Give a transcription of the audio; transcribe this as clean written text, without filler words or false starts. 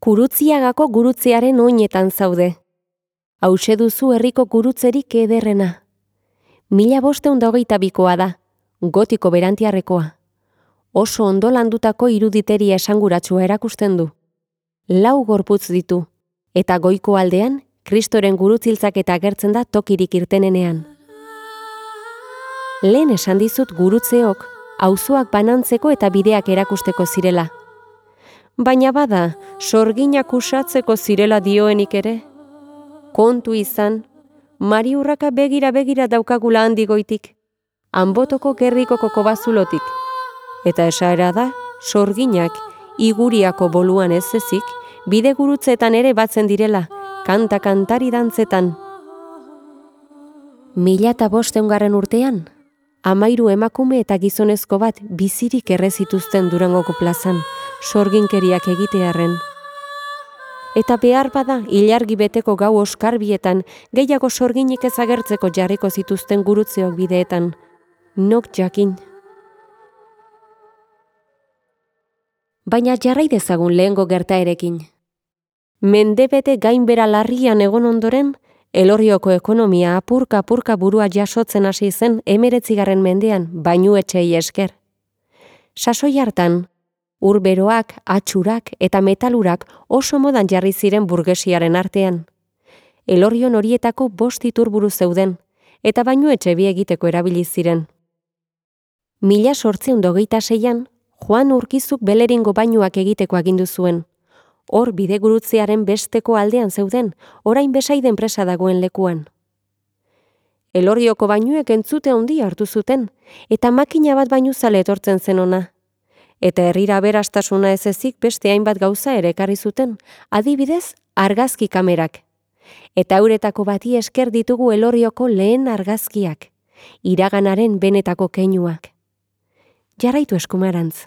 Gurutziagako gurutzearen oinetan zaude. Hauxe duzu herriko gurutzerik ederrena. 1522 da, gotiko berantiarrekoa. Oso ondo landutako iruditeria esanguratsua erakusten du. 4 gorputz ditu, eta goiko aldean Kristoren gurutziltzaketa agertzen da tokirik irtenenean. Lehen esan dizut gurutzeok, auzoak banantzeko eta bideak erakusteko zirela. Baina bada, sorginak usatzeko zirela dioenik ere. Kontu izan, Mariurraka begira daukagula handigoitik, Anbotoko gerrikoko kobazulotik. Eta esaera da, sorginak Iguriako boluan ez ezik, bide gurutzetan ere batzen direla, kanta-kantari dantzetan. 1500 urtean, 13 emakume eta gizonezko bat bizirik errezituzten Durangoko plazan, sorginkeriak egitearren. Eta behar bada, ilargi beteko gau oskarbietan, gehiago sorginik ez agertzeko jarriko zituzten gurutzeok bideetan. Nok jakin. Baina jarrai dezagun lehengo gertaerekin. Mendebete gainbera larrian egon ondoren, Elorrioko ekonomia apurka burua jasotzen hasi zen 19. mendean, bainuetxei esker. Sasoi hartan, urberoak, atxurak eta metalurak oso modan jarri ziren burgesiaren artean. Elorrion horietako 5 iturburu zeuden, eta bainuetxe bi egiteko erabili ziren. 1826an, Juan Urkizuk Beleringo bainuak egiteko agindu zuen. Hor bidegurutzearen besteko aldean zeuden, orain Besaide enpresa dagoen lekuan. Elorrioko bainuek entzute handia hartu zuten, eta makina bat bainuzale etortzen zen ona. Eta herrira aberastasuna ez ezik beste hainbat gauza ere ekarri zuten, adibidez, argazki kamerak. Eta euretako bati esker ditugu Elorrioko lehen argazkiak, iraganaren benetako keinuak. Jarraitu eskumarantz.